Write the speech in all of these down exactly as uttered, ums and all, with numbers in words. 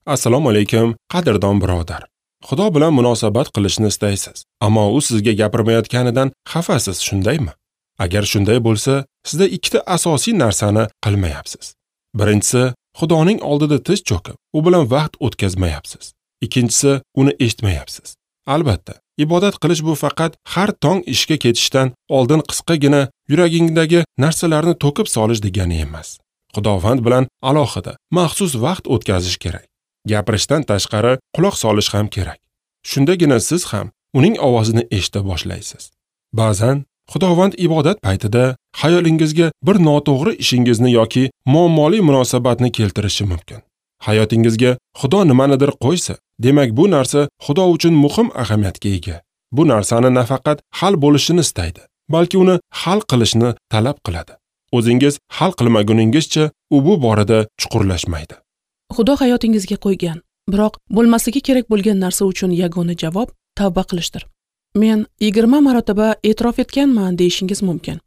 Assalomu alaykum, qadrdon birodar. Xudo bilan munosabat qilishni istaysiz, ammo u sizga gapirmayotganidan xafasiz, shundaymi? Agar shunday bo'lsa, sizda ikkita asosiy narsani qilmayapsiz. Birinchisi, Xudoning oldida tiz cho'kib, u bilan vaqt o'tkazmayapsiz. Ikkinchisi, uni eshitmayapsiz. Albatta, ibodat qilish bu faqat har tong ishga ketishdan oldin qisqagina yuragingdagi narsalarni to'kib solish degani emas. Xudovand bilan alohida, maxsus vaqt o'tkazish kerak. Gapirishdan tashqari quloq solish ham kerak. Shundagina siz ham uning ovozini eshita boshlaysiz. Ba'zan Xudovand ibodat paytida xayolingizga bir noto'g'ri ishingizni yoki muammoli munosabatni keltirishi mumkin. Hayotingizga Xudo nimanidir qo'ysa, demak bu narsa Xudo uchun muhim ahamiyatga ega. Bu narsani nafaqat hal bo'lishini istaydi, balki uni hal qilishni talab qiladi. O'zingiz hal qilmaguningizcha u bu borada chuqurlashmaydi. Xudo hayotingizga qo'ygan, biroq bo'lmasligi kerak bo'lgan narsa uchun yagona javob tavba qilishdir. Men yigirma marotaba e'tirof etganman deyishingiz mumkin.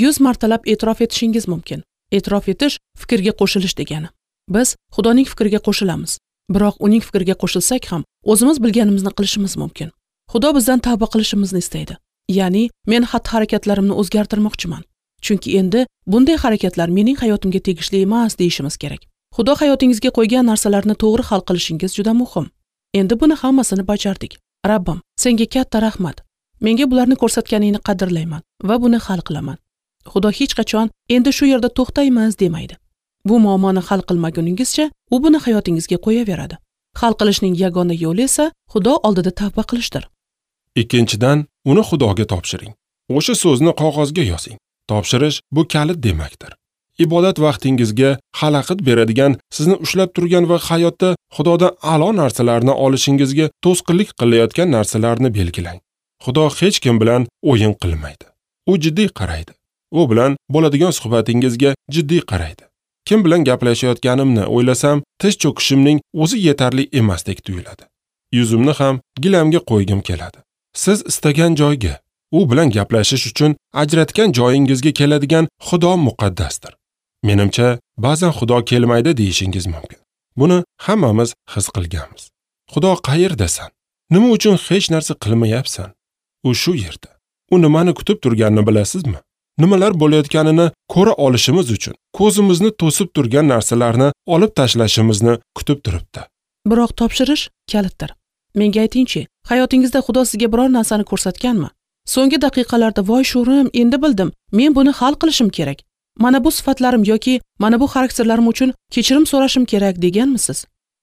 yuz martalab e'tirof etishingiz mumkin. E'tirof etish fikrga qo'shilish degani. Biz Xudoning fikriga qo'shilamiz. Biroq uning fikriga qo'shilsak ham o'zimiz bilganimizni qilishimiz mumkin. Xudo bizdan tavba qilishimizni istaydi. Ya'ni men xatti-harakatlarimni o'zgartirmoqchiman. Chunki endi bunday harakatlar mening hayotimga tegishli emas deyishimiz kerak. Xudo hayotingizga qo'ygan narsalarni to'g'ri hal qilishingiz juda muhim. Endi buni hammasini bajardik. Rabbim, senga katta rahmat. Menga bularni ko'rsatganingni qadrlayman va buni hal qilaman. Xudo hech qachon endi shu yerda to'xtaymiz demaydi. Bu muammoni hal qilmaguningizcha u buni hayotingizga qo'yaveradi. Hal qilishning yagona yo'li esa Xudo oldida tavba qilishdir. Ikkinchidan, uni Xudoga topshiring. O'sha so'zni qog'ozga yozing. Topshirish bu kalit demakdir. Ibodat vaqtingizga xalaqit beradigan, sizni ushlab turgan va hayotda Xudodan a'lo narsalarni olishingizga to'sqinlik qilayotgan narsalarni belgilang. Xudo hech kim bilan o'yin qilmaydi. U jiddiy qaraydi. U bilan bo'ladigan suhbatingizga jiddiy qaraydi. Kim bilan gaplashayotganimni o'ylasam, tiz cho'kishimning o'zi yetarli emasdek tuyuladi. Yuzimni ham gilamga qo'ygim keladi. Siz istagan joyga, u bilan gaplashish uchun ajratgan joyingizga keladigan Xudo muqaddasdir. Menimcha, ba'zan Xudo kelmaydi deyishingiz mumkin. Buni hammamiz his qilganmiz. Xudo qayerdasan? Nima uchun hech narsa qilmayapsan? U shu yerda. U nimani kutib turganini bilasizmi? Nimalar bo'layotganini ko'ra olishimiz uchun ko'zimizni to'sib turgan narsalarni olib tashlashimizni kutib turibdi. Biroq topshirish kalitdir. Menga aytingchi, hayotingizda Xudo sizga biror narsani ko'rsatganmi? So'nggi daqiqalarda voy sho'rim, endi bildim, men buni hal qilishim kerak. Mana bu sifatlarim yoki mana bu xarakterlarim uchun kechirim so'rashim kerak deganmisiz?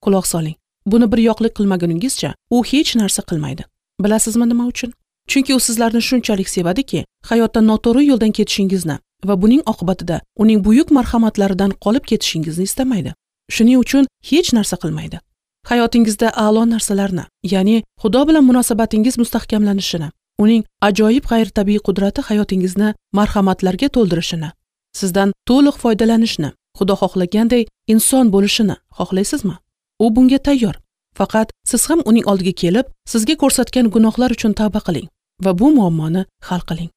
Quloq soling. Buni bir yoqlik qilmaguningizcha u hech narsa qilmaydi. Bilasizmi nima uchun? Chunki u sizlarni shunchalik sevadiki, hayotda noto'g'ri yo'ldan ketishingizni va buning oqibatida uning buyuk marhamatlaridan qolib ketishingizni istamaydi. Shuning uchun hech narsa qilmaydi. Hayotingizda a'lo narsalarni, ya'ni Xudo bilan munosabatingiz mustahkamlanishini, uning ajoyib g'ayritabiiy qudrati hayotingizni marhamatlarga to'ldirishini, sizdan to'liq foydalanishni, Xudo xohlaganday inson bo'lishini xohlaysizmi? U bunga tayyor. Faqat siz ham uning oldiga kelib, sizga ko'rsatgan gunohlar uchun tavba qiling va bu muammoni hal qiling.